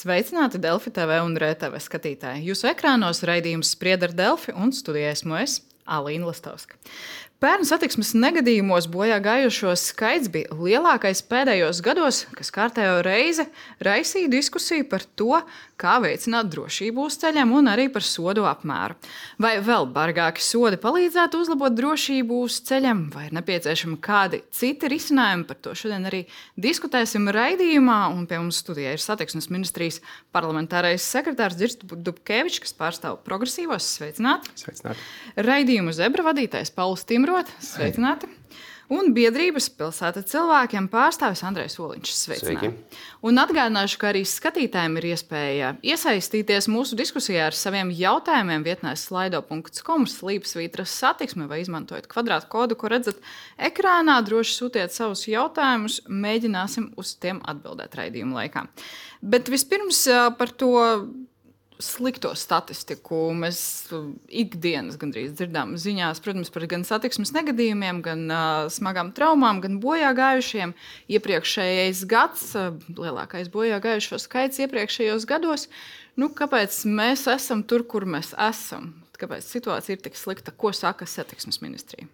Sveicināti Delfi TV un RTV skatītāji. Jūsu ekrānos raidījums Sprieda ar Delfi un studijā esmu es, Alīna Lastovska. Pērn satiksmes negadījumos bojā gājušo skaits bija lielākais pēdējos gados, kas kārtējo reizi raisīja diskusiju par to, kā veicināt drošību uz ceļiem un arī par sodu apmēru. Vai vēl bargāki sodi palīdzētu uzlabot drošību uz ceļiem, vai ir nepieciešami kādi citi risinājumi? Par to šodien arī diskutēsim raidījumā, un pie mums studijā ir Satiksmes ministrijas parlamentārais sekretārs Dzirds Dubkevičs, kas pārstāv progresīvos. Sveicināti! Sveicināti! Raidījumu Zebra vadītājs Pauls Timrot. Sveicināti! Un biedrības pilsēta cilvēkiem pārstāvis Andrejs Oliņš. Sveicināti! Sveiki. Un atgādināšu, ka arī skatītājiem ir iespēja iesaistīties mūsu diskusijā ar saviem jautājumiem vietnē slido.com/satiksme vai izmantojot kvadrātu kodu, ko redzat ekrānā. Droši sūtiet savus jautājumus, mēģināsim uz tiem atbildēt raidījuma laikā. Bet vispirms par to slikto statistiku mēs ikdienas gandrīz dzirdām ziņās, protams, par gan satiksmes negadījumiem, gan smagām traumām, gan bojā gājušiem. Iepriekšējais gads, lielākais bojā gājušo skaits iepriekšējos gados. Kāpēc mēs esam tur, kur mēs esam? Kāpēc situācija ir tik slikta? Ko saka Satiksmes ministrija?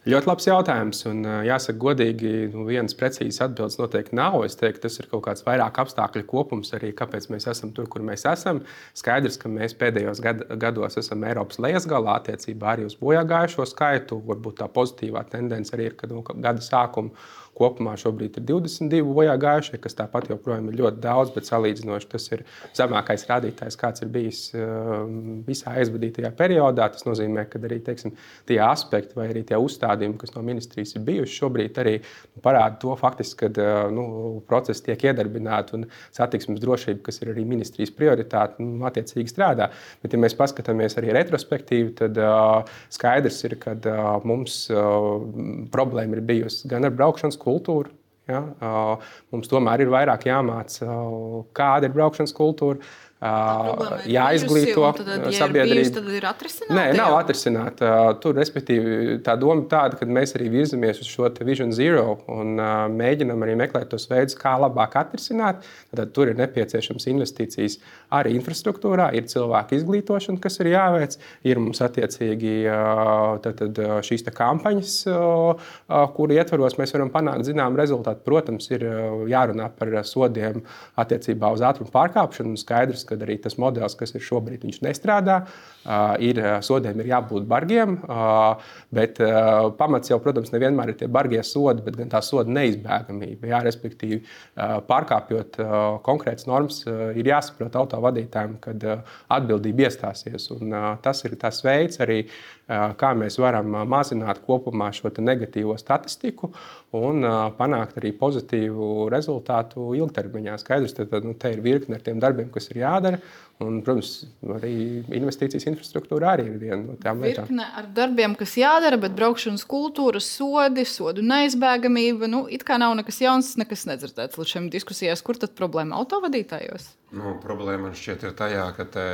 Ļoti labs jautājums, un jāsaka godīgi, vienas precīzas atbildes noteikti nav. Es teiktu, tas ir kaut kāds vairāk apstākļu kopums arī, kāpēc mēs esam tur, kur mēs esam. Skaidrs, ka mēs pēdējos gados esam Eiropas lejasgalā attiecībā arī uz bojāgājušo skaitu. Varbūt tā pozitīvā tendence arī ir, ka gada sākuma kopumā šobrīd ir 22 bojāgājušie, kas tāpat joprojām ir ļoti daudz, bet salīdzinoši tas ir zemākais rādītājs, kāds ir bijis visā aizvadītajā periodā. Tas nozīmē, ka arī tie aspekti vai arī tie uzstādījumi, kas no ministrijas ir bijuši, šobrīd arī parāda to faktiski, ka procesi tiek iedarbināti un satiksmes drošība, kas ir arī ministrijas prioritāte, attiecīgi strādā. Bet, ja mēs paskatāmies arī retrospektīvi, tad skaidrs ir, ka mums problēma ir bijusi gan ar braukšanas kultūru. Ja? Mums tomēr ir vairāk jāmāca, kāda ir braukšanas kultūra. Jāizglīto sabiedrību. Tad ir atrisināta? Nē, nav atrisināta. Tur, respektīvi, tā doma tāda, ka mēs arī virzamies uz šo Vision Zero un mēģinam arī meklēt tos veidus, kā labāk atrisināt. Tad tur ir nepieciešams investīcijas arī infrastruktūrā, ir cilvēku izglītošana, kas ir jāveic, ir mums attiecīgi šīs kampaņas, kuru ietvaros mēs varam panākt zinām rezultātu. Protams, ir jārunā par sodiem attiecībā uz ātrumu pārkāpšanu. Skaidrs, kad arī tas modelis, kas ir šobrīd, viņš nestrādā. Sodiem ir jābūt bargiem, bet pamats jau, protams, nevienmēr ir tie bargie sodi, bet gan tā soda neizbēgamība. Jā, respektīvi, pārkāpjot konkrētas normas, ir jāsaprot autovadītājiem, kad atbildība iestāsies. Un tas ir tas veids arī, kā mēs varam mazināt kopumā šo negatīvo statistiku un panākt arī pozitīvu rezultātu ilgtermiņā. Skaidrs, te ir virkne ar tiem darbiem, kas ir jādara. Un, protams, arī investīcijas infrastruktūra arī ir viena no tām lietām. Virkne ar darbiem, kas jādara, bet braukšanas kultūra, sodu neizbēgamība, it kā nav nekas jauns, nekas nedzirdēts līdz šiem diskusijās. Kur tad problēma autovadītājos? Problēma man šķiet ir tajā, ka te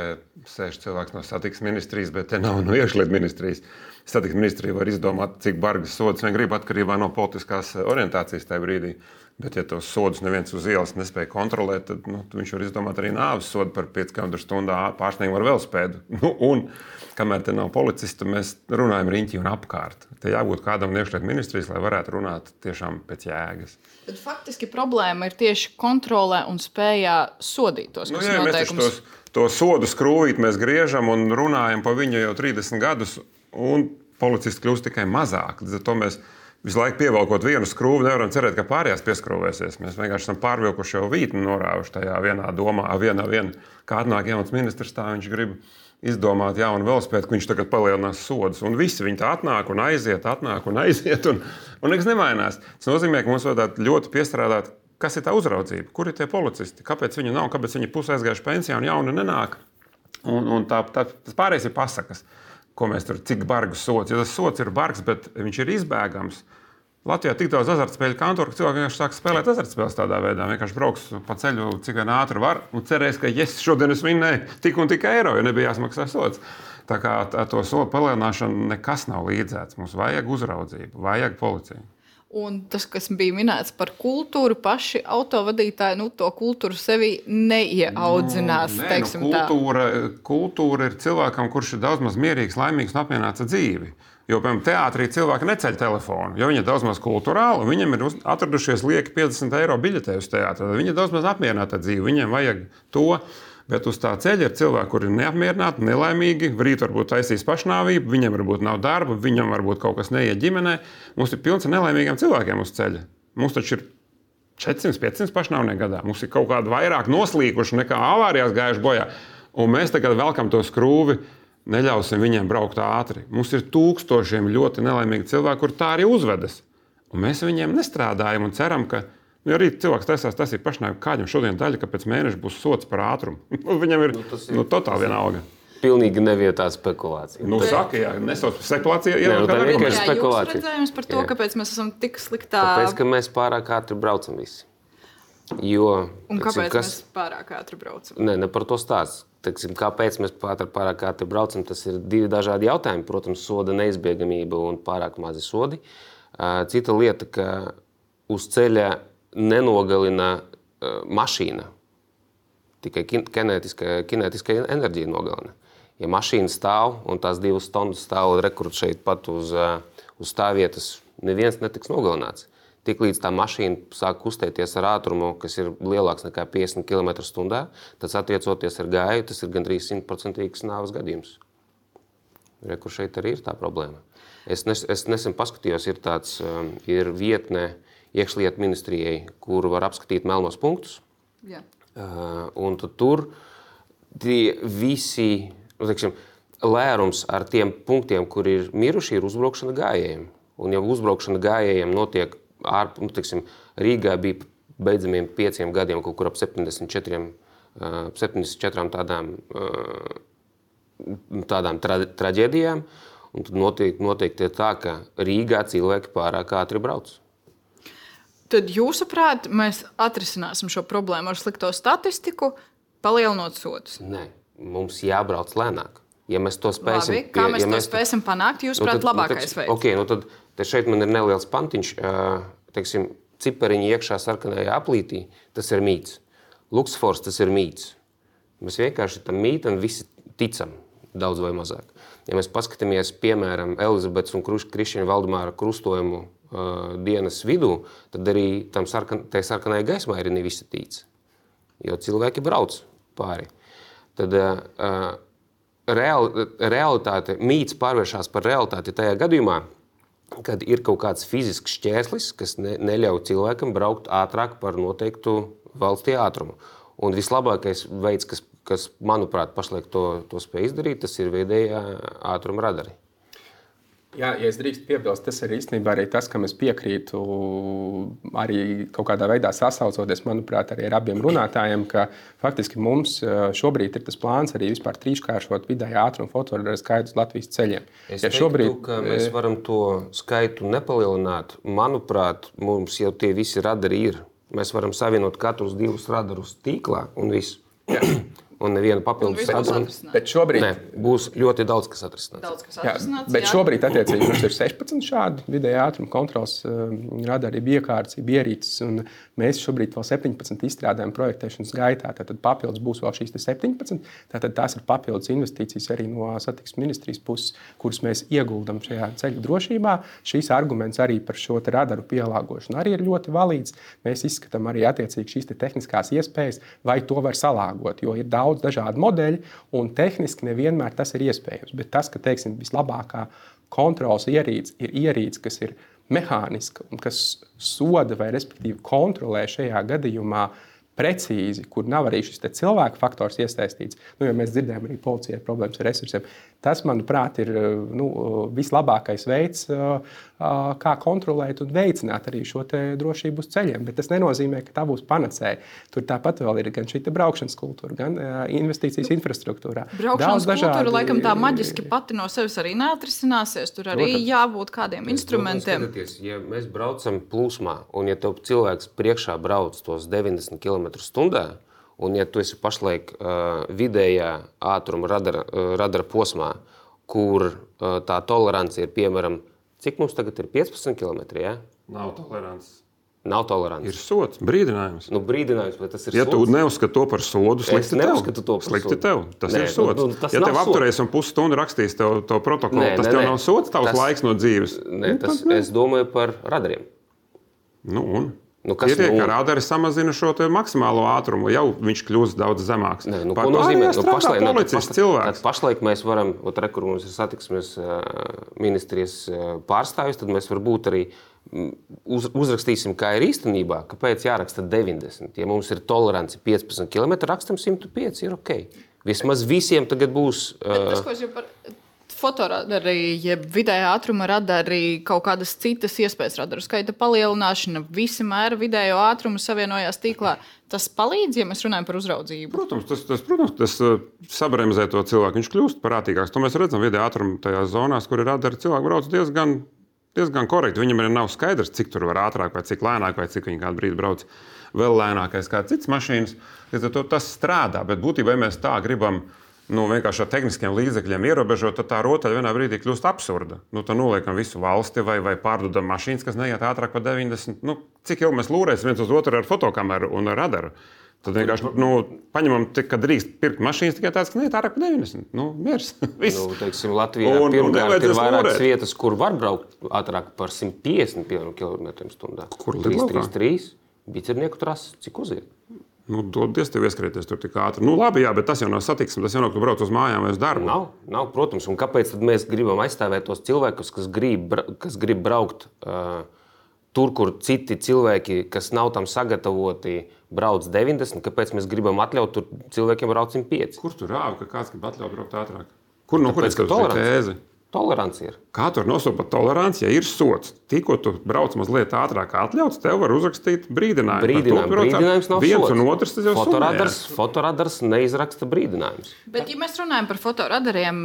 sēž cilvēks no satiksmes ministrijas, bet te nav no iekšlietu ministrijas. Satiksmes ministrija var izdomāt, cik bargas sodas vien grib atkarībā no politiskās orientācijas tajā brīdī. Bet, ja tos sodus neviens uz ielas nespēja kontrolēt, tad viņš var izdomāt arī nāves sodu par 5 km/h pārsniegumu ar velospēdu. Un, kamēr te nav policisti, mēs runājam riņķī un apkārt. Te jābūt kādam no iekšlietu ministrijas, lai varētu runāt tiešām pēc jēgas. Tad faktiski problēma ir tieši kontrolē un spējā sodīt tos noteikumus. Mēs to sodu skrūvīt mēs griežam un runājam pa viņu jau 30 gadus, un policisti kļūst tikai mazāk. Līdz ar to mēs visu laiku pievelkot vienu skrūvi, nevaram cerēt, ka pārējās pieskrūvēsies. Mēs vienkārši esam pārvilkuši jau vītni norāvuši tajā vienā domā. Kā atnāk jauns ministrs, tā viņš grib izdomāt jaunu velospēdu, ka viņš tagad palielinās sodus. Un visi viņi tā atnāk un aiziet, un nekas nemainās. Tas nozīmē, ka mums vajadzētu ļoti piestrādāt, kas ir tā uzraudzība, kur ir tie policisti, kāpēc viņi nav, kāpēc viņi pusē aizgājuši pensijā un jauni nenāk. Un tas pārējais ir pasakas. Ko mēs tur, cik bargus sods. Ja tas sods ir bargs, bet viņš ir izbēgams. Latvijā tik daudz azartspēļu kantoru, ka cilvēki vienkārši sāk spēlēt azartspēles tādā veidā. Vienkārši brauks pa ceļu, cik vien ātri var, un cerēs, ka šodien es vinnēju tik un tik eiro, jo nebija jāsmaksā sods. Tā kā to sodu palielināšanu nekas nav līdzēts. Mums vajag uzraudzību, vajag policiju. Un tas, kas bija minēts par kultūru, paši autovadītāji to kultūru sevi neieaudzinās. Kultūra ir cilvēkam, kurš ir daudz maz mierīgs, laimīgs un apmierināts ar dzīvi. Jo, piemēram, teātrī cilvēki neceļ telefonu, jo viņi ir daudz maz kultūrāli, un viņiem ir atradušies lieki 50 eiro biļetē uz teātru. Viņi ir daudz maz apmierināti ar dzīvi, viņiem vajag to. Bet uz tā ceļa ir cilvēki, kuri ir neapmierināti, nelaimīgi, rīt varbūt taisīs pašnāvību, viņiem varbūt nav darba, viņam varbūt kaut kas neiet ģimenē. Mums ir pilns ar nelaimīgiem cilvēkiem uz ceļa. Mums taču ir 400-500 pašnāvnieku gadā. Mums ir kaut kādi vairāk noslīkuši nekā avārijās gājuši bojā. Un mēs tagad velkam to skrūvi, neļausim viņiem braukt ātri. Mums ir tūkstošiem ļoti nelaimīgi cilvēki, kur tā arī uzvedas. Un mēs viņiem nestrādājam un ceram, ka jo rīt cilvēks taisās, tas ir pašnāvība, kādam šodien daļa, ka pēc mēneša būs sots par ātrumu. Viņam ir totāli vienalga. Pilnīgi nevietā spekulācija. Saka, jā, nesauc spekulācija. Tā ir vienkārši spekulācija. Jūs redzējums par to, kāpēc mēs esam tik sliktā? Tāpēc, ka mēs pārāk ātri braucam visi. Un kāpēc mēs pārāk ātri braucam? Ne par to stāst. Kāpēc mēs pārāk ātri braucam, tas ir divi dažādi jautājumi. Protams, soda neizbēgamība un pārāk mazi sodi. Cita lieta, ka uz ceļa nenogalina mašīna. Tikai kinētiskā enerģija nogalina. Ja mašīna stāv un tās 2 stundas stāv rekrut šeit pat uz stāvvietas, neviens netiks nogalināts. Tiklīdz tā mašīna sāk kustēties ar ātrumu, kas ir lielāks nekā 50 km/h, tad attiecoties ar gāju, tas ir gandrīz 100% nāves gadījums. Rekur šeit arī ir tā problēma. Es nesen paskatījos, ir vietne iekšlietu ministrijai, kur var apskatīt melnos punktus. Jā. Un tur tie visi, lērums ar tiem punktiem, kur ir miruši, ir uzbraukšana gājējiem. Un ja uzbraukšana gājējiem notiek Rīgā bija beidzamiem 5 gadiem, kaut kur ap 74 tādām traģēdijām, un tad noteikti ir tā, ka Rīgā cilvēki pārāk ātri brauc. Tad jūsuprāt, mēs atrisināsim šo problēmu ar slikto statistiku, palielinot sodus? Nē, mums jābrauc lēnāk. Ja mēs to spēsim, Labi, kā mēs to spēsim panākt, jūsuprāt, labākais veids? Tad šeit man ir neliels pantiņš, cipariņi iekšā sarkanajā aplītī, tas ir mīts. Luksfors, tas ir mīts. Mēs vienkārši tam mītam visi ticam, daudz vai mazāk. Ja mēs paskatāmies, piemēram, Elizabetes un Krišķina Valdemāra krustojumu dienas vidū, tad arī tai sarkanai gaismai arī ne visi tic. Jo cilvēki brauc pāri. Tad realitāte, mīts pārvēršās par realitāti tajā gadījumā, kad ir kaut kāds fizisks šķērslis, kas neļauj cilvēkam braukt ātrāk par noteiktu valstī ātrumu. Un vislabākais veids, kas manuprāt, pašlaik to spēj izdarīt, tas ir vidējā ātruma radari. Jā, ja es drīkst piebilst, tas ir īstenībā arī tas, kam es piekrītu, arī kaut kādā veidā sasaucoties, manuprāt, arī ar abiem runātājiem, ka faktiski mums šobrīd ir tas plāns arī vispār trīskāršot vidējā ātruma fotoradara skaitu uz Latvijas ceļiem. Es teiktu, ka mēs varam to skaitu nepalielināt. Manuprāt, mums jau tie visi radari ir. Mēs varam savienot katrus 2 radarus tīklā un visu. Un neviena papildus radaru. Bet šobrīd būs ļoti daudz, kas atrisināts. Bet šobrīd, attiecīgi, mums ir 16 šādi vidējā ātruma kontrols radari, iekārtas, ierīces, un mēs šobrīd vēl 17 izstrādājam projektēšanas gaitā. Tātad papildus būs vēl šīs 17. Tātad tās ir papildus investīcijas arī no satiksmes ministrijas puses, kuras mēs ieguldam šajā ceļu drošībā. Šīs arguments arī par šo radaru pielāgošanu arī ir ļoti valīds. Mēs izskatām arī attiecīgi šīs tehniskās iespējas, vai to var salāgot, jo ir daudz dažādu modeļu, un tehniski nevienmēr tas ir iespējams. Bet tas, ka vislabākā kontrols ierīce ir ierīce, kas ir mehāniska un kas soda vai respektīvi kontrolē šajā gadījumā precīzi, kur nav arī šis cilvēka faktors iesaistīts. Jo mēs dzirdējām arī policijai problēmas ar resursiem. Tas, manuprāt, ir vislabākais veids, kā kontrolēt un veicināt arī šo drošību uz ceļiem. Bet tas nenozīmē, ka tā būs panacēja. Tur tāpat vēl ir gan šī braukšanas kultūra, gan investīcijas infrastruktūrā. Braukšanas kultūra laikam tā maģiski pati no sevis arī neatrisināsies. Tur arī jābūt kādiem instrumentiem. Ja mēs braucam plūsmā, un ja tev cilvēks priekšā brauc tos 90 km/h, un ja tu esi pašlaik vidējā ātruma radara posmā, kur tā tolerance ir, piemēram, cik mums tagad ir 15 km, ja? Nav tolerants. Nav tolerants. Ir sots, brīdinājums. Brīdinājums, vai tas ir Ja sods? tu neuzskati to par sodu, slikti tev. neuzskatu to par Slikti sodu. tev. Tas Nē, ir sods. tas Ja nav tev sods. apturēs un pusstundu rakstīs to protokolu, Nē, tas nē, tev nē. nav sods, tavs Tas- laiks no dzīves. Nē, es domāju par radariem. Kas Ir ka radari samazina šo te maksimālo ātrumu, jau viņš kļūst daudz zemāks. Nē, Par ko nozīmē? pārējā strādā policists cilvēks. Pašlaik mēs varam, kur mums ir satiksmes ministrijas pārstāvis, tad mēs varbūt arī uzrakstīsim, kā ir īstenībā, kāpēc jāraksta 90. Ja mums ir tolerance 15 km, rakstam 105, ir ok. Vismaz visiem tagad būs... Tas, ko es jau par fotoradari, jeb vidējā ātruma radari, kaut kādas citas iespējas radaru skaita palielināšana, visi mēra vidējo ātrumu savienojās tīklā. Tas palīdz, ja mēs runājam par uzraudzību? Protams, tas sabremzē to cilvēku. Viņš kļūst prātīgāks. To mēs redzam vidējā ātrumā tajās zonās, kur ir radari. Cilvēki brauc diezgan korekti. Viņam arī nav skaidrs, cik tur var ātrāk, vai cik lēnāk, vai cik viņi kādu brīdi brauc vēl lēnākais kā citas mašīnas. Tas strādā, bet būtībā, ja mēs tā gribam vienkārši ar tehniskiem līdzekļiem ierobežot, tad tā rotaļa vienā brīdī kļūst absurda. Tad noliekam visu valsti vai pārdodam mašīnas, kas neiet ātrāk par 90. Cik ilgi mēs lūrēsim viens uz otru ar fotokameru un ar radaru? Tad vienkārši paņemam, ka drīkst pirkt mašīnas tikai tādas, kas neiet ārāk par 90. Miers. Latvijā pirmkārt ir vairākas vietas, kur var braukt ātrāk par 150 km/h. Kur lidlauka? 333 bicernieku trases, cik uziet? Dodies tev ieskrieties tur tik ātri. Labi, jā, bet tas jau nav satiksme, tas jau nav, ka tu brauc uz mājām vai uz darbu. Nav, protams. Un kāpēc tad mēs gribam aizstāvēt tos cilvēkus, kas grib braukt tur, kur citi cilvēki, kas nav tam sagatavoti, brauc 90? Kāpēc mēs gribam atļaut tur cilvēkiem braukt 105? Kur tu rāvi, ka kāds grib atļaut braukt ātrāk? Kurienes tā tēze? Tolerants ir. Kā tur nosaukt par toleranci, ja ir sots? Tikko tu brauc mazliet ātrāk atļauts, tev var uzrakstīt brīdinājumu. Brīdinājums nav viens sots. Un otrs, tas jau Fotoradars neizraksta brīdinājumus. Bet, ja mēs runājam par fotoradariem,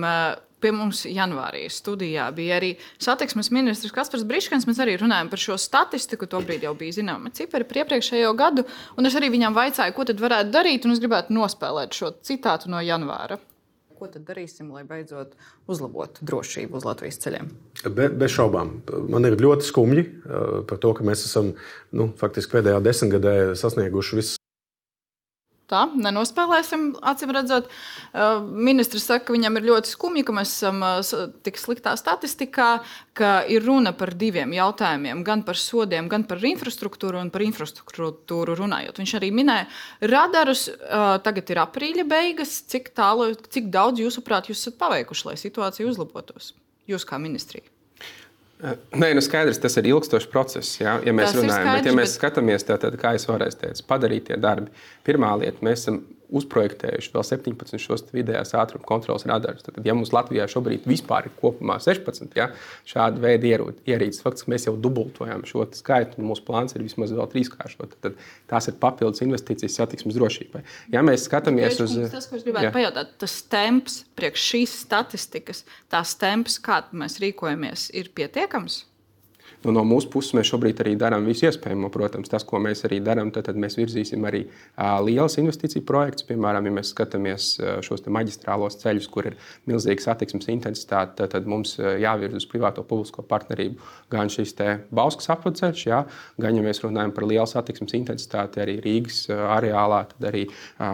pie mums janvārī studijā bija arī satiksmes ministrs Kaspars Briškans. Mēs arī runājam par šo statistiku. Tobrīd jau bija zināma cipari par iepriekšējo gadu. Un es arī viņam vaicāju, ko tad varētu darīt, un es gribētu nospēlēt šo citātu no janvāra. Ko tad darīsim, lai beidzot uzlabotu drošību uz Latvijas ceļiem? Bez šaubām. Man ir ļoti skumji par to, ka mēs esam faktiski pēdējā desmitgadē sasnieguši visu. Tā, nenospēlēsim, acīm redzot. Ministrs saka, ka viņam ir ļoti skumji, ka mēs esam tik sliktā statistikā, ka ir runa par diviem jautājumiem, gan par sodiem, gan par infrastruktūru, un par infrastruktūru runājot. Viņš arī minēja radarus, tagad ir aprīļa beigas, cik daudz jūsuprāt jūs esat paveikuši, lai situācija uzlabotos? Jūs kā ministrija. Nē, skaidrs, tas ir ilgstošs process, ja mēs runājam. Bet, ja mēs skatāmies, tad, kā es varēju teikt, padarīt tie darbi. Pirmā lieta, mēs esam uzprojektējuši vēl 17 šos vidējās ātruma kontrolas radarus. Tad, ja mums Latvijā šobrīd vispār ir kopumā 16 šādi veidi ierīces, faktiski mēs jau dubultojam šo skaitu, un mūsu plāns ir vismaz vēl trīskāršot. Tad tās ir papildus investīcijas satiksmes drošībai. Ja mēs skatāmies uz... Tas, ko es gribētu pajautāt, tas temps priekš šīs statistikas, tās temps, kā mēs rīkojamies, ir pietiekams? No mūsu puses mēs šobrīd arī darām visu iespējamo. Protams, tas, ko mēs arī darām, tad mēs virzīsim arī lielas investīciju projektus. Piemēram, ja mēs skatāmies šos maģistrālos ceļus, kur ir milzīga satiksmes intensitāte, tad mums jāvirz uz privāto publisko partnerību gan šis Bauskas apvadceļš, gan, ja mēs runājam par lielu satiksmes intensitāti arī Rīgas areālā, tad arī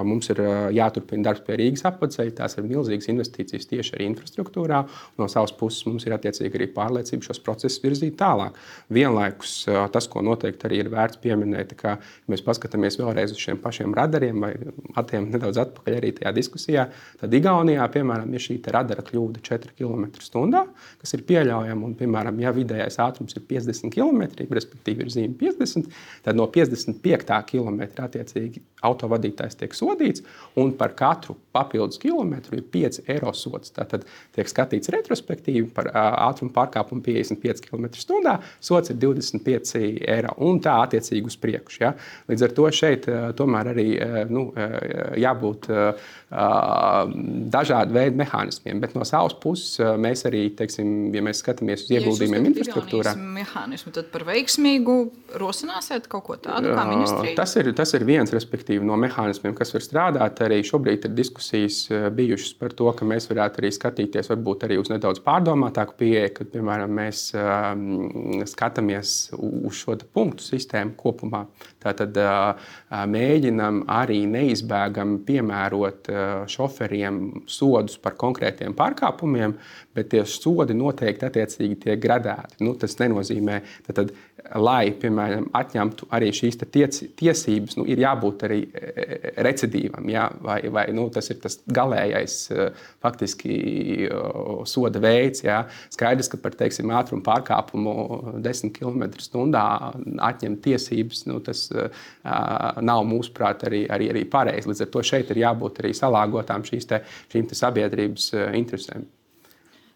mums ir jāturpina darbs pie Rīgas apvadceļa. Tās ir milzīgas investīcijas tieši arī infrastruktūrā. No savas puses mums ir attiecīgi arī pārliecība šos procesus virzīt tālāk. Vienlaikus tas, ko noteikti arī ir vērts pieminēt, ka mēs paskatāmies vēlreiz uz šiem pašiem radariem vai atiem nedaudz atpakaļ arī tajā diskusijā, tad Igaunijā, piemēram, ir šī radara kļūda 4 km/h, kas ir pieļaujama, un, piemēram, ja vidējais ātrums ir 50 km, respektīvi ir zīme 50, tad no 55. kilometra attiecīgi autovadītājs tiek sodīts, un par katru papildus kilometru ir 5 eiro sods. Tātad tiek skatīts retrospektīvi par ātrumu pārkāpumu 55 km/h, sods ir 25 eiro, un tā attiecīgi uz priekšu. Ja? Līdz ar to šeit tomēr arī jābūt dažādu veidu mehānismiem, bet no savas puses mēs arī, teiksim, ja mēs skatāmies uz ieguldījumiem infrastruktūrā. Mehānismu, tad par veiksmīgu rosināsiet kaut ko tādu kā ministrija? Tas ir viens, respektīvi, no mehānismiem, kas var strādāt. Arī šobrīd ir diskusija diskusijas bijušas par to, ka mēs varētu arī skatīties varbūt arī uz nedaudz pārdomātāku pieeju, kad, piemēram, mēs skatāmies uz šo punktu sistēmu kopumā. Tātad mēģinam arī neizbēgami piemērot šoferiem sodus par konkrētiem pārkāpumiem, bet tie sodi noteikti attiecīgi tiek gradēti. Tas nenozīmē, tad, lai, piemēram, atņemtu arī šīs tiesības, ir jābūt arī recidīvam, ja? vai tas ir tas galējais faktiski soda veids. Ja? Skaidrs, ka par, teiksim, ātrumu pārkāpumu 10 km/h atņemt tiesības, tas nav mūsuprāt arī pareizi. Līdz ar to šeit ir jābūt arī salāgotām šīm sabiedrības interesēm.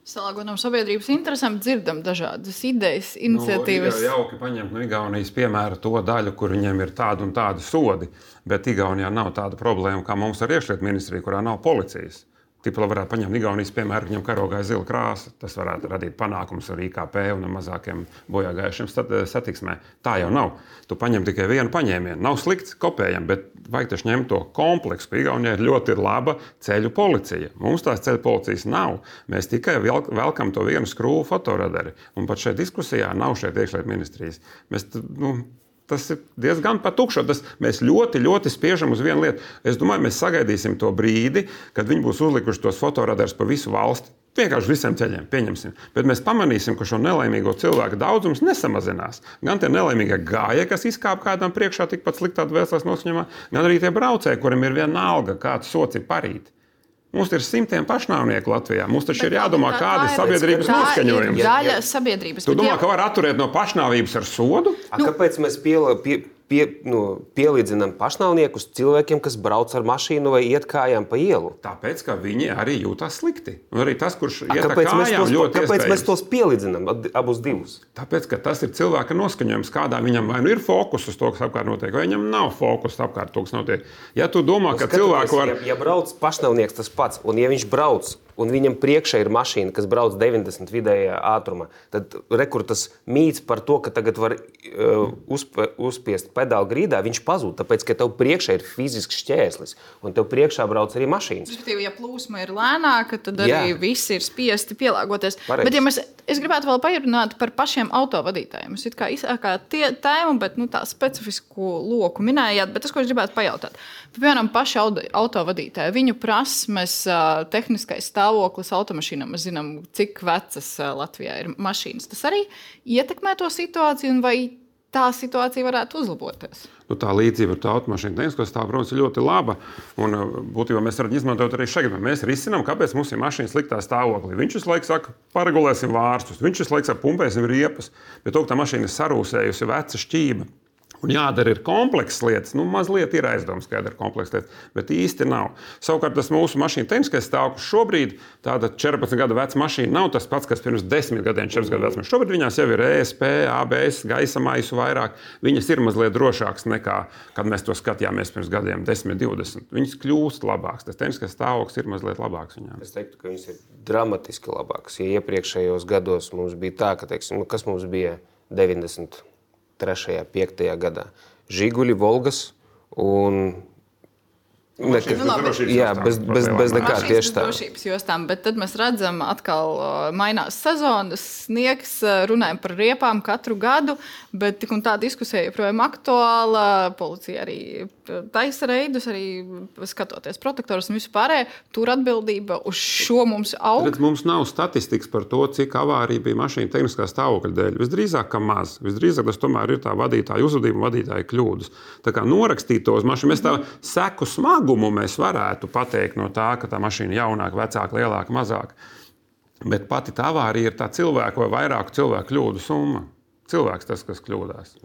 Salāgotam sabiedrības interesēm dzirdam dažādas idejas, iniciatīvas. Ir jauki paņemt no Igaunijas piemēra to daļu, kur viņiem ir tādi un tādi sodi, bet Igaunijā nav tāda problēma, kā mums ar iekšlietu ministriju, kurā nav policijas. Tipā varētu paņemt Igaunijas piemēru, viņam karogā ir zila krāsa. Tas varētu radīt panākumus ar IKP un mazākiem bojāgājušiem satiksmē. Tā jau nav. Tu paņem tikai vienu paņēmienu. Nav slikts, kopējam, bet vajag taču ņemt to kompleksu. Igaunijā ir ļoti laba ceļu policija. Mums tās ceļu policijas nav. Mēs tikai velkam to vienu skrūvu fotoradari. Un pat šeit diskusijā nav šeit iekšlietu ministrijas. Tas ir diezgan patukšo. Mēs ļoti, ļoti spiežam uz vienu lietu. Es domāju, mēs sagaidīsim to brīdi, kad viņi būs uzlikuši tos fotoradarus pa visu valsti. Vienkārši visiem ceļiem pieņemsim. Bet mēs pamanīsim, ka šo nelaimīgo cilvēku daudzums nesamazinās. Gan tie nelaimīgie gājēji, kas izkāp kādam priekšā tikpat sliktā dvēseles noskaņojumā, gan arī tie braucēji, kuriem ir vienalga, kāds sots ir parīt. Mums ir simtiem pašnāvnieku Latvijā. Mums taču ir jādomā, kāda ir sabiedrības noskaņojums. Tā ir daļa sabiedrības. Tu domā, ka var atturēt no pašnāvības ar sodu? Kāpēc mēs pielīdzinām pašnāvniekus cilvēkiem, kas brauc ar mašīnu vai iet kājām pa ielu? Tāpēc, ka viņi arī jūtas slikti. Un arī tas, kurš iet ar kājām, ļoti kāpēc mēs tos pielīdzinām abus divus? Tāpēc, ka tas ir cilvēka noskaņojums, kādā viņam vai nu ir fokus uz to, kas apkārt notiek, vai viņam nav fokus apkārt to, kas notiek. Ja tu domā, ka cilvēku var... Ja brauc pašnāvnieks tas pats, un ja viņš brauc, un viņam priekšā ir mašīna, kas brauc 90 vidējā ātrumā, tad rekur tas mīts par to, ka tagad var uzspiest pedāli grīdā, viņš pazūd, tāpēc, ka tev priekšā ir fizisks šķērslis, un tev priekšā brauc arī mašīnas. Respektīvi, ja plūsma ir lēnāka, tad arī visi ir spiesti pielāgoties. Pareizi. Bet ja es gribētu vēl parunāt par pašiem autovadītājiem. Jūs it kā izsākāt tēmu, bet tā specifisku loku minējāt, bet tas, ko es gribētu pajautāt. Piemēram, paši autovadītāji, viņu prasmes, tehniskais stāvoklis automašīnām, mēs zinām, cik vecas Latvijā ir mašīnas. Tas arī ietekmē to situāciju, un vai tā situācija varētu uzlaboties? Tā līdzība ar tā automašīnu tehnisko stāvokli, protams, ir ļoti laba. Un būtībā mēs varam izmantot arī šeit. Mēs risinām, kāpēc mums ir mašīna sliktā stāvoklī. Viņš visu laiku saka, paregulēsim vārstus, viņš visu laiku saka, pumpēsim riepas, bet to, ka tā mašīna ir sarūsējusi, veca šķība. Un jādara ir komplekss lietas. Mazliet ir aizdomas, ka jādara komplekss lietas, bet īsti nav. Savukārt tas mūsu mašīna tehniskais stāvoklis šobrīd, tāda 14 gadu veca mašīna, nav tas pats, kas pirms 10 gadiem, 14 gadu vecuma. Šobrīd viņās jau ir ESP, ABS, gaisa maisu vairāk. Viņas ir mazliet drošākas nekā, kad mēs to skatījāmies pirms gadiem 10, 20. Viņas kļūst labākas. Tas tehniskais stāvoklis ir mazliet labāks viņām. Es teiktu, ka viņas ir dramatiski labākas. Ja iepriekšējos gados mums bija tā, ka, teiksim, kas mums bija 93. 5. gadā. Žiguļi, Volgas un... bez nekā tieši tā. Drošības jostām, bet tad mēs redzam, atkal mainās sezonas, sniegs, runājam par riepām katru gadu, bet tik un tā diskusija joprojām aktuāla. Policija arī taisa reidus, arī skatoties protektorus un visu pārējo, tur atbildība uz šo mums aug. Tad mums nav statistikas par to, cik avārija bija mašīna tehniskā stāvokļa dēļ. Visdrīzāk, ka maz. Visdrīzāk tas tomēr ir tā vadītāja uzvedība un vadītāja kļūdas. Tā kā norakstīt tos mašīnu, mēs tā seku smagumu mēs varētu pateikt no tā, ka tā mašīna jaunāka, vecāka, lielāka, mazāka. Bet pati tā avārija ir tā cilvēku vai vairāku cilvēku kļūdu summa. Cilvēks tas, kas kļūdās.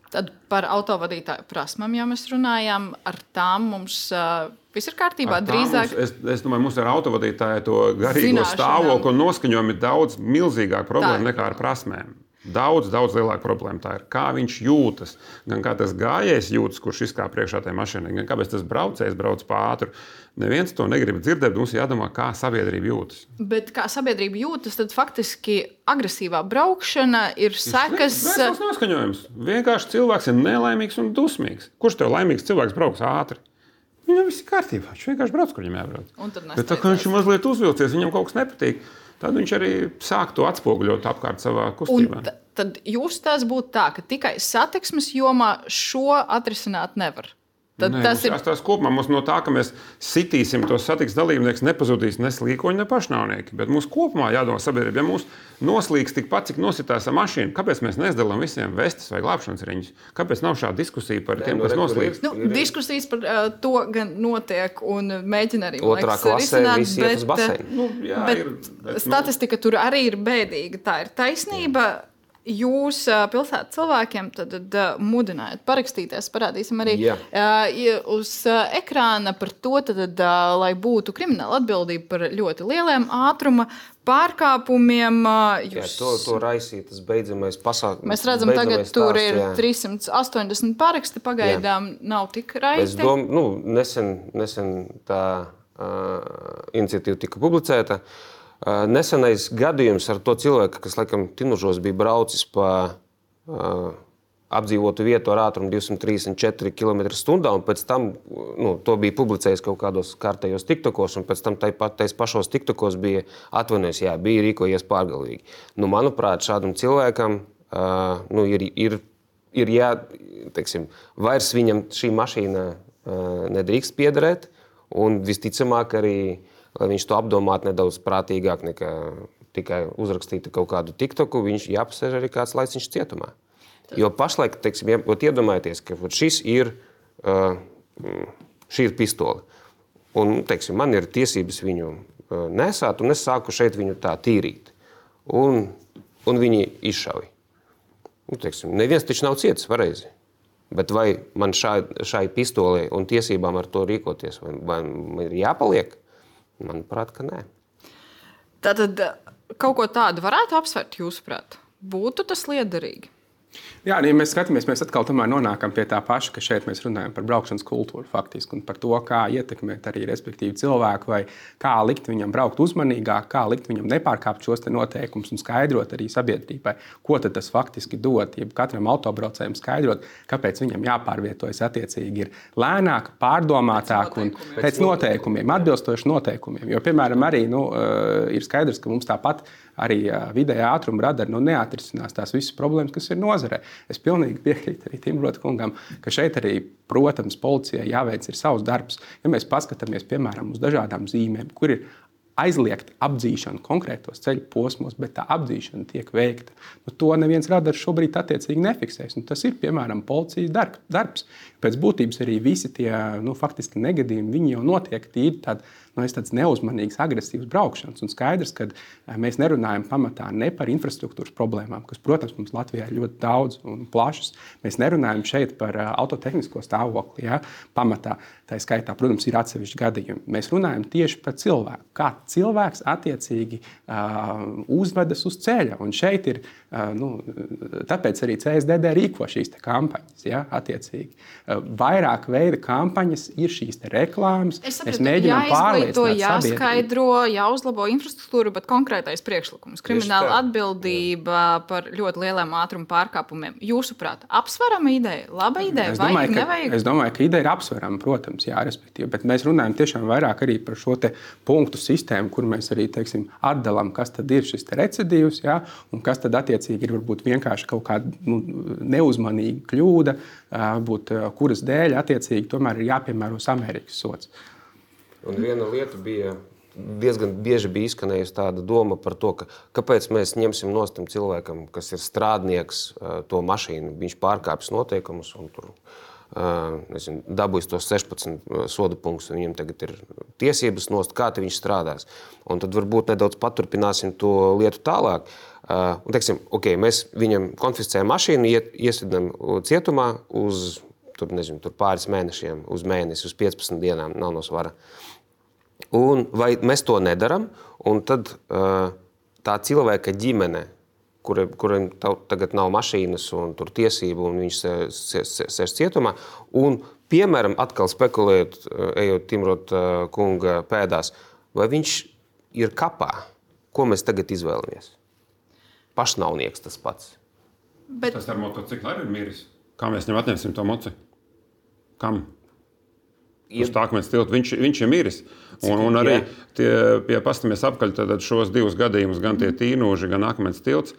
Tad par autovadītāju prasmām, ja mēs runājām, ar tām mums viss ir kārtībā. Drīzāk... Es domāju, mums ar autovadītāju to garīgo stāvokli un noskaņojumu ir daudz milzīgāka problēma nekā ar prasmēm. Daudz lielāka problēma tā ir, kā viņš jūtas. Gan kā tas gājējs jūtas, kurš izkāp priekšā tajā mašīnā, gan kāpēc tas braucējs brauc pa ātru. Neviens to negrib dzirdēt, mums jādomā, kā sabiedrība jūtas. Bet kā sabiedrība jūtas, tad faktiski agresīvā braukšana ir sekas... Tas noskaņojums. Vienkārši cilvēks ir nelaimīgs un dusmīgs. Kurš tev laimīgs cilvēks brauks ātri? Viņam viss ir kārtībā. Viņš vienkārši brauc, kur viņam jābrauc. Bet tā kā viņš ir mazliet uzvilcies, viņam kaut kas nepatīk, tad viņš arī sāk to atspoguļot apkārt savā kustībā. Tad jūs tās būtu tā, ka tikai satiksmes jomā šo atrisināt nevar. Tad Nē, tas ir tās kopumā mums no tā, ka mēs sitīsim tos satiksmes dalībniekus, nepazudīs ne slīkoņi, ne pašnāvnieki. Bet mums kopumā jādomā sabiedrība, ja mūs noslīgs tikpat, cik nositās ar mašīnu, kāpēc mēs neizdalām visiem vestes vai glābšanas riņķus? Kāpēc nav šāda diskusija par tiem, kas noslīgs? Diskusijas par to gan notiek un mēģina arī Otrā klasē visi iet uz baseinu. Bet statistika tur arī ir bēdīga. Tā ir taisnība. Jūs pilsētas cilvēkiem tad mudinājāt parakstīties, parādīsim arī uz ekrāna par to, lai būtu krimināla atbildība par ļoti lieliem ātruma pārkāpumiem. To raisīt, tas beidzamais pasākums. Mēs redzam, tagad tur ir 380 paraksti, pagaidām nav tik raisti. Nesen tā iniciatīva tika publicēta. Nesenais gadījums ar to cilvēku, kas laikam Tinužos bija braucis pa apdzīvotu vietu ar ātrumu 234 km/h, un pēc tam to bija publicējis kaut kādos kārtējos tiktokos, un pēc tam tais pašos tiktokos bija atvainojis, bija rīkojies pārgalvīgi. Manuprāt, šādam cilvēkam ir teiksim, vairs viņam šī mašīna nedrīkst piederēt, un visticamāk arī lai viņš to apdomātu nedaudz prātīgāk nekā tikai uzrakstīt kaut kādu tiktoku, viņš jāpasēž arī kāds laiciņš cietumā. Jo pašlaik, teiksim, iedomājieties, ka šī ir pistole. Un, teiksim, man ir tiesības viņu nesāt, un es sāku šeit viņu tā tīrīt. Un viņi izšauj. Teiksim, neviens taču nav cietis, pareizi. Bet vai man šai pistolei un tiesībām ar to rīkoties, vai man ir jāpaliek? Manuprāt, ka nē. Tātad kaut ko tādu varētu apsvērt, jūsuprāt? Būtu tas liederīgi? Jā, ja mēs skatāmies, mēs atkal nonākam pie tā paša, ka šeit mēs runājam par braukšanas kultūru faktiski un par to, kā ietekmēt arī respektīvi cilvēku vai kā likt viņam braukt uzmanīgāk, kā likt viņam nepārkāpt šos noteikumus un skaidrot arī sabiedrībai, ko tad tas faktiski dod. Ja katram autobraucējam skaidrot, kāpēc viņam jāpārvietojas attiecīgi ir lēnāk, pārdomātāk un pēc noteikumiem, atbilstoši noteikumiem. Jo, piemēram, arī ir skaidrs, ka mums tāpat arī vidējā ātruma radari neatrisinās tās visas problēmas, kas ir nozarē. Es pilnīgi piekrītu arī Timrota kungam, ka šeit arī, protams, policijai jāveic ir savs darbs. Ja mēs paskatāmies, piemēram, uz dažādām zīmēm, kur ir aizliegt apdzīšanu konkrētos ceļu posmos, bet tā apdzīšana tiek veikta. To neviens radars šobrīd attiecīgi nefiksēs. Tas ir, piemēram, policijas darbs. Pēc būtības arī visi tie faktiski negadījumi, viņi jau notiek tīri tāds neuzmanīgs, agresīvs braukšanas. Un skaidrs, ka mēs nerunājam pamatā ne par infrastruktūras problēmām, kas, protams, mums Latvijā ir ļoti daudz un plašas. Mēs nerunājam šeit par autotehnisko stāvokli, pamatā. Tā skaitā, protams, ir atsevišķi gadījumi. Mēs runājam tieši par cilvēku. Kā cilvēks attiecīgi uzvedas uz ceļa. Un šeit ir, tāpēc arī CSDD rīko šīs kampaņas, attiecīgi. Vairāk veida kampaņas ir šīs reklāmas. Mēs mēģinām pārliecināt sabiedrību. Jāskaidro, jāuzlabo infrastruktūru, bet konkrētais priekšlikums. Krimināla atbildība par ļoti lieliem ātruma pārkāpumiem. Jūsuprāt, apsverama ideja, laba ideja, vajag, nevajag? Es domāju, ka ideja ir apsverama, protams, respektīvi. Bet mēs runājam tiešām vairāk arī par šo punktu sistēmu, kur mēs arī, teiksim, atdalām, kas tad ir šis recidīvs, un kas tad attiecīgi ir varbūt vienkārši kaut kāda neuzmanīga kļūda, kuras dēļ attiecīgi tomēr ir jāpiemēro samērīgs sods. Un viena lieta bija, diezgan bieži bija izskanējusi tāda doma par to, kāpēc mēs ņemsim nost tam cilvēkam, kas ir strādnieks, to mašīnu, viņš pārkāpjas noteikumus un tur dabūjis tos 16 soda punktus, un viņam tagad ir tiesības nost, kā viņš strādās. Un tad varbūt nedaudz paturpināsim to lietu tālāk. Un teiksim, mēs viņam konfiscējam mašīnu, iesidam cietumā uz tur pāris mēnešiem, uz mēnesi, uz 15 dienām, nav no svara. Un vai mēs to nedaram, un tad tā cilvēka ģimene, kuriem tagad nav mašīnas un tur tiesību, un viņš sēž cietumā, un, piemēram, atkal spekulējot, ejot Timrota kunga pēdās, vai viņš ir kapā? Ko mēs tagad izvēlamies? Pašnāvnieks tas pats. Bet... Tas ar motociklu arī ir miris. Kā mēs viņam atņemsim to moci? Kam? uz tā akmens tilta. Viņš ir miris. Un arī pastamies apkaļ šos 2 gadījumus, gan tie tīnūži, gan akmens tilts.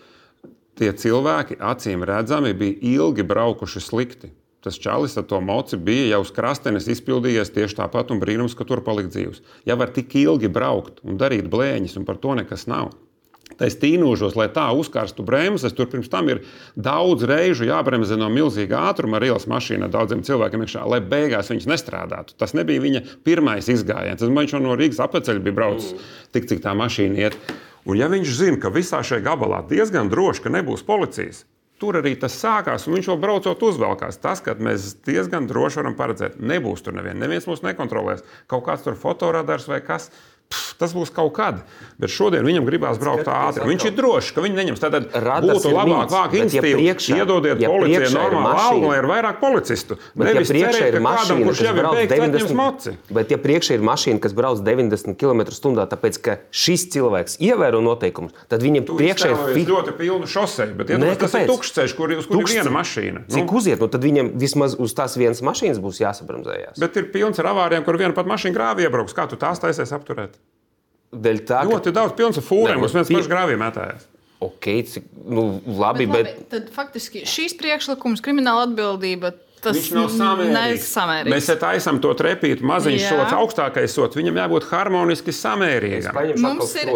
Tie cilvēki, acīm redzami, bija ilgi braukuši slikti. Tas čalis ar to moci bija jau uz krastenes izpildījies tieši tāpat un brīnums, ka tur palikt dzīvs. Ja var tik ilgi braukt un darīt blēņas un par to nekas nav. Tais tīnūžos, lai tā uzkarstu bremzes, tur pirms tam ir daudz reižu jābremzē no milzīga ātruma ar ielas mašīnu daudziem cilvēkiem iekšā, lai beigās viņas nestrādātu. Tas nebija viņa pirmais izgājiens. Viņš jau no Rīgas apceļa bija braucis tik, cik tā mašīna iet. Un ja viņš zina, ka visā šajā gabalā diezgan droši, ka nebūs policijas, tur arī tas sākās, un viņš vēl braucot uzvelkās. Tas, ka mēs diezgan droši varam paredzēt, nebūs tur neviens mūs nekontrolēs. Kaut kāds tur fotoradars vai kas. Tas būs kaut kad, bet šodien viņam gribās braukt ātri. Viņš ir drošs, ka viņi neņems. Tad būtu labāk vāk institīvu, iedodiet policijai normālu algu, lai ir vairāk policistu. Nevis cerēt, ka kādam, kurš jau ir beigts, atņems moci. Bet ja priekšā ir mašīna, kas brauc 90 km/h, tāpēc, ka šis cilvēks ievēro noteikumus, tad viņam priekšā ir ļoti pilnu šoseju, bet tas ir tukšs ceļš, kur ir viena mašīna. Cik uziet, tad viņam vismaz uz tās vienas mašīnas būs jāsabremzējās. Bet ir pilns ar avārijām, kur viena pat mašīna grāvī iebrauks. Kā tu tās taisies apturēt? Tā, ļoti daudz pilns ar fūriem, kas viens pašs grāvī metājās. Labi, bet... Tad faktiski šīs priekšlikums, krimināla atbildība, tas viņš nav samērīgs. Mēs taisam to trepīt, maziņš sots, augstākais sots, viņam jābūt harmoniski samērīgam. Mums ir...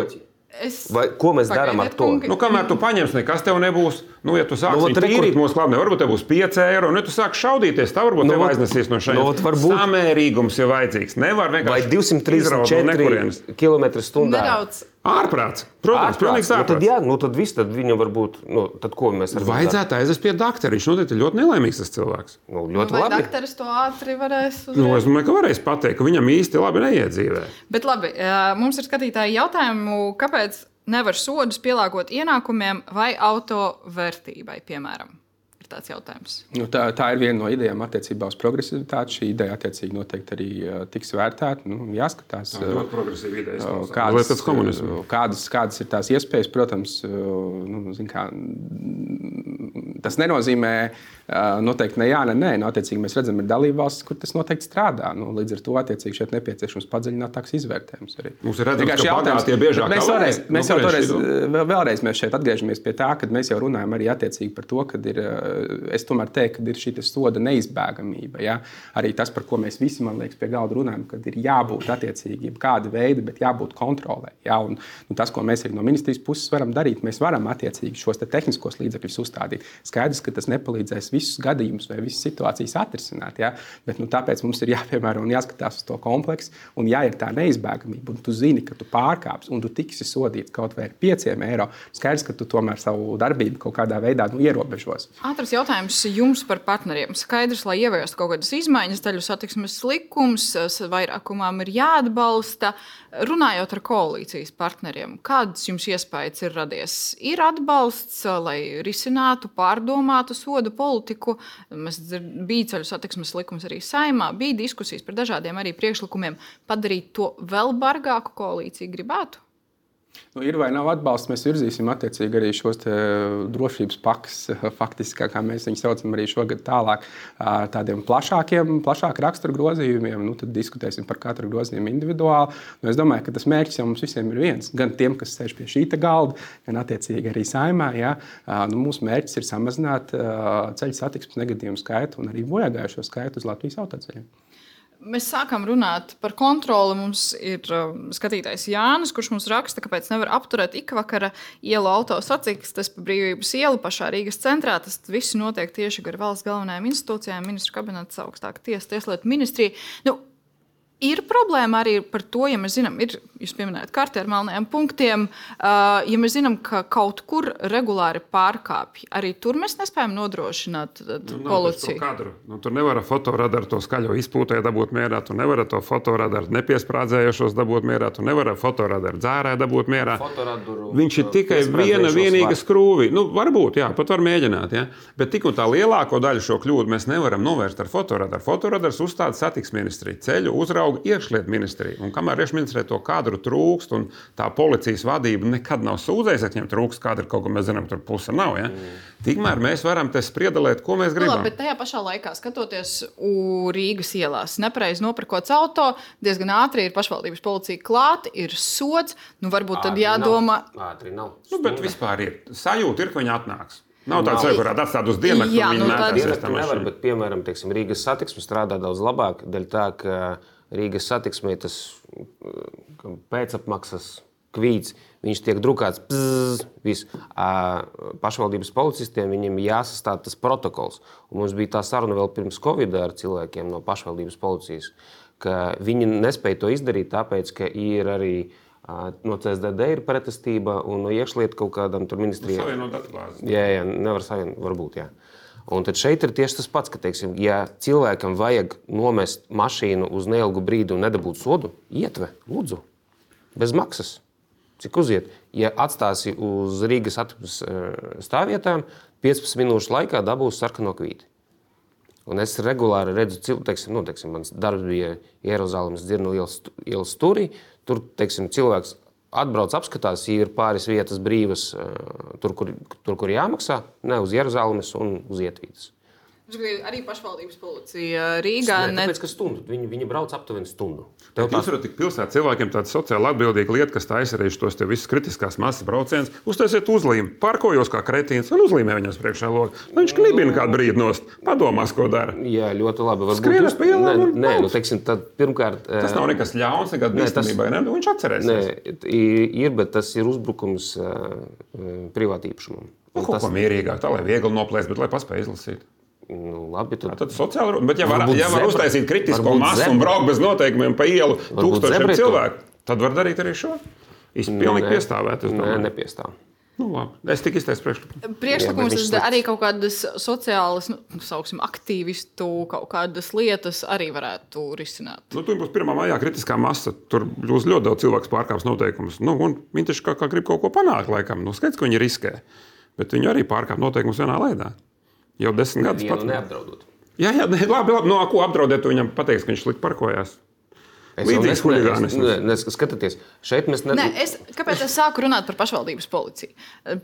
Vai, ko mēs darām ar to? Kamēr tu paņemsi, nekas tev nebūs. Ja tu sāksi tīrīt mūsu klābnē, varbūt tev būs 5 eiro. Ja tu sāksi šaudīties, tā varbūt tev aiznesīs no šeit. Samērīgums ir vajadzīgs. Nevar vienkārši 234 km/h. Ārprāts. Protams, pilnīgs ārprāts. Tad viss, tad viņam varbūt, tad ko mēs varam darīt? Vajadzētu aizvest pie daktera. Viņš noteikti ļoti nelaimīgs tas cilvēks. Ļoti labi. Vai dakteris to ātri varēs uzreiz? Es domāju, ka varēs pateikt, ka viņam īsti labi neiedzīvē. Bet labi, mums ir skatītāji jautājumu, kāpēc nevar sodus pielāgot ienākumiem vai auto vērtībai, piemēram? Ir tāds jautājums. Tā ir viena no idejām attiecībā uz progresivitāti. Šī ideja attiecīgi noteikti arī tiks vērtēta. Jāskatās, kādas ir tās iespējas. Protams, tas nenozīmē noteikti ne jā, ne nē. Attiecīgi mēs redzam, ir dalībvalstis, kur tas noteikti strādā. Līdz ar to attiecīgi šeit nepieciešams padziļinātāks izvērtējums arī. Mums ir redzams, ka bagātie biežāk vēlreiz mēs šeit atgriežamies pie tā, kad mēs jau runājam arī attiecīgi par to, kad ir, es tomēr teiktu, ka ir šī soda neizbēgamība. Ja? Arī tas, par ko mēs visi, man liekas, pie galda runājam, kad ir jābūt attiecīgi kāda veida, bet jābūt kontrolē. Ja? Un tas, ko mēs arī no ministrijas puses varam darīt, mēs varam attiecīgi šos tehniskos līdzekļus uzstādīt. Skaidrs, ka tas nepalīdzēs visus gadījumus vai visas situācijas atrisināt. Ja? Bet tāpēc mums ir jāpiemēro un jāskatās uz to kompleksu. Un ja ir tā neizbēgamība, un tu zini, ka tu pārkāpsi un tu tiksi sodīts kaut vai ar 5 eiro, skaidrs, ka tu tomēr savu darbību kaut kādā veidā ierobežos. Ātrs jautājums jums par partneriem. Skaidrs, lai ieviestu kaut kādas izmaiņas, ceļu satiksmes likums, vairākumam ir jāatbalsta. Runājot ar koalīcijas partneriem, kāds jums iespējas ir radies? Ir atbalsts, lai risinātu, pārdomātu sodu politiku? Bija ceļu satiksmes likums arī Saeimā, bija diskusijas par dažādiem arī priekšlikumiem. Padarīt to vēl bargāku koalīciju gribētu? Ir vai nav atbalsts, mēs virzīsim attiecīgi arī šos drošības pakas, faktiski, kā mēs viņus saucam arī šogad tālāk, tādiem plašāk rakstura grozījumiem. Tad diskutēsim par katru grozījumu individuāli. Es domāju, ka tas mērķis jau mums visiem ir viens. Gan tiem, kas sēž pie šīta galda, gan attiecīgi arī Saeimā. Ja? Mūsu mērķis ir samazināt ceļu satiksmes negadījumu skaitu un arī bojāgājušo skaitu uz Latvijas autoceļiem. Mēs sākam runāt par kontroli. Mums ir skatītājs Jānis, kurš mums raksta, kāpēc nevar apturēt ikvakara ielu autosatiksmes pa Brīvības ielu pašā Rīgas centrā. Tas viss notiek tieši gar valsts galvenajām institūcijām, ministru kabinets, augstāka tiesa, tieslietu ministrija. Ir problēma arī par to, ja mēs zinām, jūs pieminējat karti ar melnajiem punktiem, ja mēs zinām, ka kaut kur regulāri pārkāpj, arī tur mēs nespējam nodrošināt policiju. Tur nevar fotoradaru to skaļo izpūtē dabūt mierā, tu nevar to fotoradaru nepiesprādzējošos dabūt mierā, tu nevar fotoradaru dzērē dabūt mierā. Viņš ir tikai vienīga skrūvi. Varbūt, jā, pat var mēģināt, jā. Bet tik un tā lielāko daļu šo kļūdu mēs nevaram novērst ar fotoradaru. Fotoradars uzstāda satiksmes ministrija, ceļu uzrauga uzrauga iekšlietu ministrija. Un kamēr iekšlietu ministrijai to kadru trūkst, un tā policijas vadība nekad nav sūdzējusies, ka viņiem trūkst kadru, kaut ko mēs zinām, tur puse nav. Ja? Tikmēr mēs varam te spriedelēt, ko mēs gribam. Bet tajā pašā laikā, skatoties Rīgas ielās, nepareizi nopirkots auto, diezgan ātri ir pašvaldības policija klāt, ir sods. Varbūt tad jādomā. Ātri nav. Bet vispār ir sajūta, ka viņi atnāks. Nav tāds, kurā atstāt uz diennakti, Jā, un viņi Dienas nevar, bet, piemēram, Rīgas satiksme strādā daudz labāk, dēļ tā, ka Rīgas satiksmē tas pēcapmaksas kvīts, viņš tiek drukāts pašvaldības policistiem, viņiem jāsastāv tas protokols. Un mums bija tā saruna vēl pirms Covid ar cilvēkiem no pašvaldības policijas, ka viņi nespēja to izdarīt, tāpēc, ka ir arī no CSDD ir pretestība un no iekšlietu kaut kādam tur ministrijai. Savienot datubāzes. Jā, nevar savienot, varbūt, jā. Un tad šeit ir tieši tas pats, ka, teiksim, ja cilvēkam vajag nomest mašīnu uz neilgu brīdi un nedabūt sodu, ietve, lūdzu, bez maksas. Cik uziet? Ja atstāsi uz Rīgas stāvvietām, 15 minūšu laikā dabūs sarkano kvīti. Un es regulāri redzu, mans darbs bija Jeruzalemes Dzirnu ielas stūrī. Tur, cilvēks atbrauc, apskatās, ir pāris vietas brīvas, tur, kur jāmaksā, ne uz Jeruzalemes un uz Ietvītes. Arī pašvaldības policija Rīgā. Tāpēc, ka stundu. Viņi brauc aptuveni stundu. Jūs varat tik pilsētas cilvēkiem tāda sociāli atbildīga lieta, kas taisa arī šos te visus kritiskās masas braucienus. Uztaisiet uzlīmi, parkojos kā kretīns un uzlīmē viņas priekšā logu. Viņš klibina kādu brīdi nost, padomās, ko dara. Jā, ļoti labi. Skrienas pa ielām un tad pirmkārt... Tas nav nekas ļauns, nekad bīstamībai, ne? Viņš atcerēsies. Bet tas ir uzbrukums privātīpašumam. Kaut ko mierīgāk, tā lai viegli noplēst, bet lai paspēj izlasīt. Labi, tad sociāli, bet ja var uztaisīt kritisko masu un braukt bez noteikumiem pa ielu tūkstošiem cilvēku, tad var darīt arī šo. Pilnīgi piestāvēt. Nepiestāv. Labi. Es tik izteicu priekšlikumu. Priekšlikums arī kaut kādas sociālas, aktīvistu kaut kādas lietas arī varētu risināt. Tur būs 1. maijā kritiskā masa. Tur būs ļoti daudz cilvēku pārkāps noteikumus. Un viņi taču kā grib kaut ko panākt, laikam. Skaidrs, ka viņi riskē. Bet viņi arī pārkāp noteikumus vienā veidā. Jau 10 gadus pat neapdraudot. Jā, labi. No ko apdraudēt, viņam pateiks, ka viņš slikti parkojās. Līdzīgs huligānisms. Skatieties, šeit mēs kāpēc es sāku runāt par pašvaldības policiju?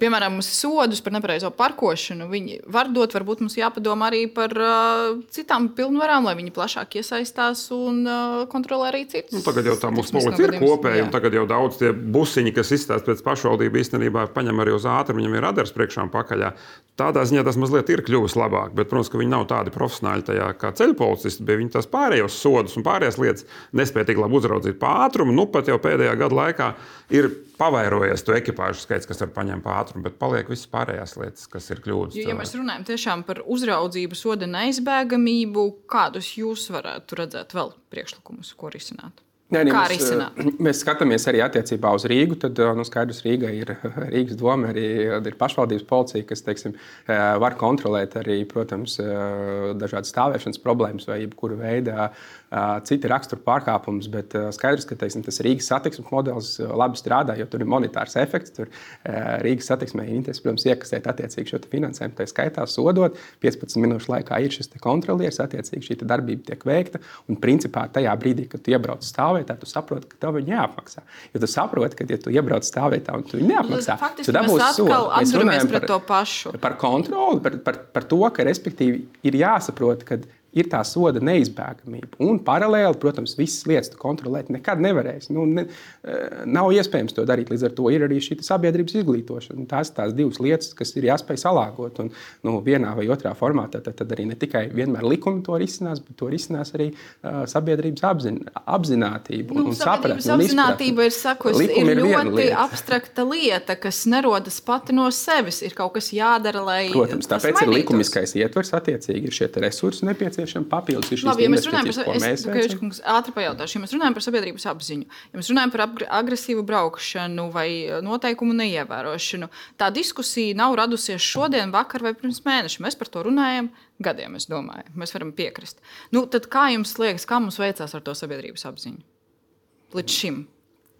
Piemēram, sodus par nepareizo parkošanu viņi var dot, varbūt mums jāpadomā arī par citām pilnvarām, lai viņi plašāk iesaistās un kontrolē arī citus. Tagad jau tā mūsu policija ir kopēja, un tagad jau daudz tie busiņi, kas izstāst pēc pašvaldību, īstenībā paņem arī uz ātrumu, viņam ir radars priekšā un pakaļā. Tādā ziņā tas mazliet ir kļuvis labāk, bet, protams, ka viņi nav tādi profesionāļi tajā kā ceļu policisti, bet viņi tās pārējos sodus un pārējās lietas nespēja tik labi uzraudzīt pa ātrumu. Pat jau pēdējā gada laikā ir pavairojies to ekipāžu skaits, kas var paņemt pa ātrumu, bet paliek visas pārējās lietas, kas ir kļūdas. Ja mēs runājam tiešām par uzraudzību, soda neizbēgamību, kādus jūs varētu redzēt vēl priekšlikumus, ko risināt? Mēs skatāmies arī attiecībā uz Rīgu. Tad skaidrs, Rīga ir Rīgas doma, arī ir pašvaldības policija, kas var kontrolēt arī, protams, dažādas stāvēšanas problēmas vai jebkura veida citi rakstura pārkāpumus. Bet skaidrs, ka tas Rīgas satiksmes modelis labi strādā, jo tur ir monetārs efekts. Tur Rīgas satiksmē ir interesi, protams, iekasēt attiecīgi šo finansējumu. Tā skaitā sodot, 15 minūšu laikā ir šis kontrolieris, attiecīgi šī darbība tiek veikta. Un principā tajā brīdī, kad tu iebrauc stāvvietā, tu saproti, ka tev viņi jāapmaksā. Jo tu saproti, ka, ja tu iebrauc stāvvietā un tu viņi neapmaksā, faktiski mēs atkal atduramies pret to pašu. Par kontroli, par to, ka respektīvi ir jāsaprot, ka ir tā soda neizbēgamība. Un paralēli, protams, visas lietas kontrolēt nekad nevarēs. Nav iespējams to darīt. Līdz ar to ir arī šī sabiedrības izglītošana. Tās divas lietas, kas ir jāspēj salāgot. Un vienā vai otrā formātā tad arī ne tikai vienmēr likumi to risinās, bet to risinās arī sabiedrības apzinātība un sapratne. Sabiedrības apzinātība ir sakusi, ir ļoti abstrakta lieta, kas nerodas pati no sevis. Ir kaut kas jādara, lai protams, tāpēc ir likumiskais ietvers, attiecīgi ir šie resursi nepieciešami. Papildus ir šīs investīcijas, ko mēs veicam. Ātri pajautāšu, ja mēs runājam par sabiedrības apziņu, ja mēs runājam par agresīvu braukšanu vai noteikumu neievērošanu, tā diskusija nav radusies šodien, vakar vai pirms mēneša. Mēs par to runājam gadiem, es domāju. Mēs varam piekrist. Tad kā jums liekas, kā mums veicās ar to sabiedrības apziņu? Līdz šim.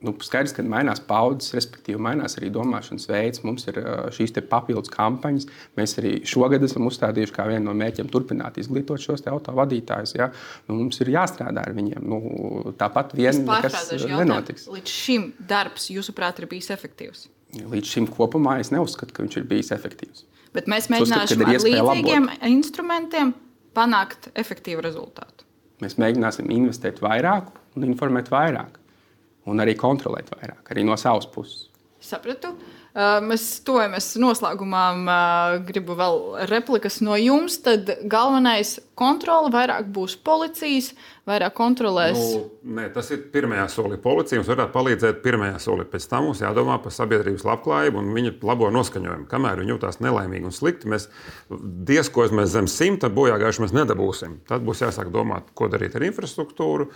Skaidrs, ka mainās paudzes, respektīvi mainās arī domāšanas veids. Mums ir šīs papildus kampaņas. Mēs arī šogad esam uzstādījuši kā vienu no mērķiem turpināt izglītot šos autovadītājus. Ja? Mums ir jāstrādā ar viņiem. Tāpat vien nekas nenotiks. Līdz šim darbs, jūsuprāt, ir bijis efektīvs? Līdz šim kopumā es neuzskatu, ka viņš ir bijis efektīvs. Bet mēs mēģināsim ar līdzīgiem instrumentiem panākt efektīvu rezultātu. Mēs mēģināsim investēt vairāk un informēt vairāk. Un arī kontrolēt vairāk, arī no savas puses. Sapratu. Mēs tojamies noslēgumā. Gribu vēl replikas no jums. Tad galvenais kontrole vairāk būs policijas, vairāk kontrolēs. Tas ir pirmajā solī. Policija mums varētu palīdzēt pirmajā solī. Pēc tam mums jādomā par sabiedrības labklājību un viņa labo noskaņojumu. Kamēr viņi jūtās nelaimīgi un slikti, mēs dieskojamies zem 100 bojāgājuši mēs nedabūsim. Tad būs jāsāk domāt, ko darīt ar infrastruktūru,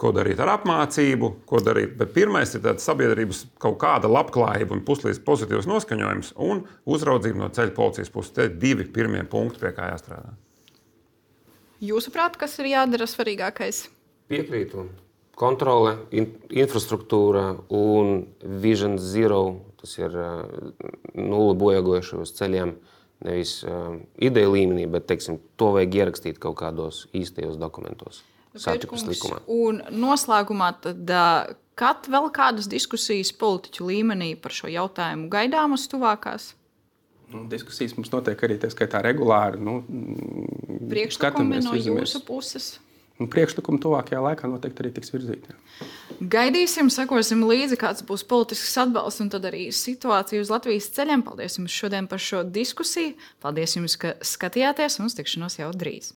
ko darīt ar apmācību, ko darīt. Bet pirmais ir tāds sabiedrības kaut kāda labklājība un puslīdz pozitīvs noskaņojums un uzraudzība no ceļa policijas puses. Te ir 2 pirmie punkti, pie kā jāstrādā. Jūsuprāt, kas ir jādara svarīgākais? Piekrītu. Kontrole, infrastruktūra un Vision Zero, tas ir nulle bojāgojuši uz ceļiem, nevis ideja līmenī, bet teiksim, to vajag ierakstīt kaut kādos īstajos dokumentos. Un noslēgumā tad, kad vēl kādas diskusijas politiķu līmenī par šo jautājumu gaidāmas tuvākās? Diskusijas mums notiek arī tā skaitā regulāri. Priekšlikumi no jūsu puses? Priekšlikumi tuvākajā laikā noteikti arī tiks virzīti. Gaidīsim, sekosim līdzi, kāds būs politisks atbalsts un tad arī situācija uz Latvijas ceļiem. Paldies jums šodien par šo diskusiju. Paldies jums, ka skatījāties un uz tikšanos jau drīz.